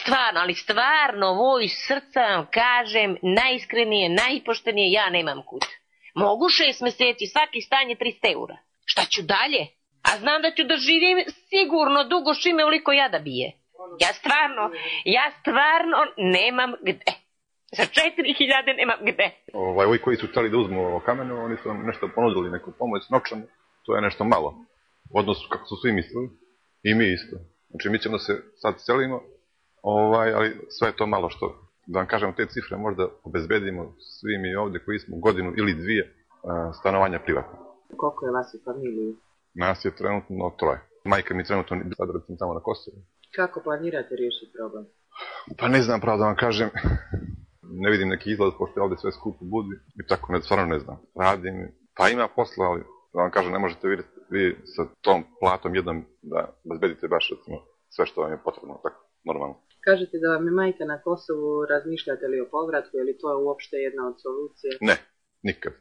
stvarno, ali stvarno, ovo iz srca vam kažem, najiskrenije, najpoštenije, ja nemam kud. Mogu 6 meseci, svaki stan je 300 eura. Šta ću dalje? A znam da ću da živim sigurno dugo šime uliko jada bije. Ja stvarno nemam gde. Za 4.000 nemam gde. Ovi koji su htjeli da uzmu kamenu, oni su nam nešto ponudili, neku pomoć novčanu. To je nešto malo. U odnosu kako su svi mislili. I mi isto. Znači mi ćemo da se sad selimo, ali sve je to malo što, da vam kažem, te cifre možda obezbedimo svi mi ovdje koji smo godinu ili 2 stanovanja privatno. Koliko je vas u familiji? Nas je trenutno 3. Majka mi trenutno sad recimo tamo na Kosovu. Kako planirate riješiti problem? Pa ne znam pravo da vam kažem. Ne vidim neki izlaz, pošto je ovdje sve skupo budi. I tako, stvarno ne znam. Radim, pa ima posla, ali da vam kažem, ne možete vi sa tom platom jednom da bezbedite baš recimo sve što vam je potrebno, tako, normalno. Kažete da vam je majka na Kosovu, razmišljate li o povratku, je li to uopšte jedna od solucije? Ne, nikad.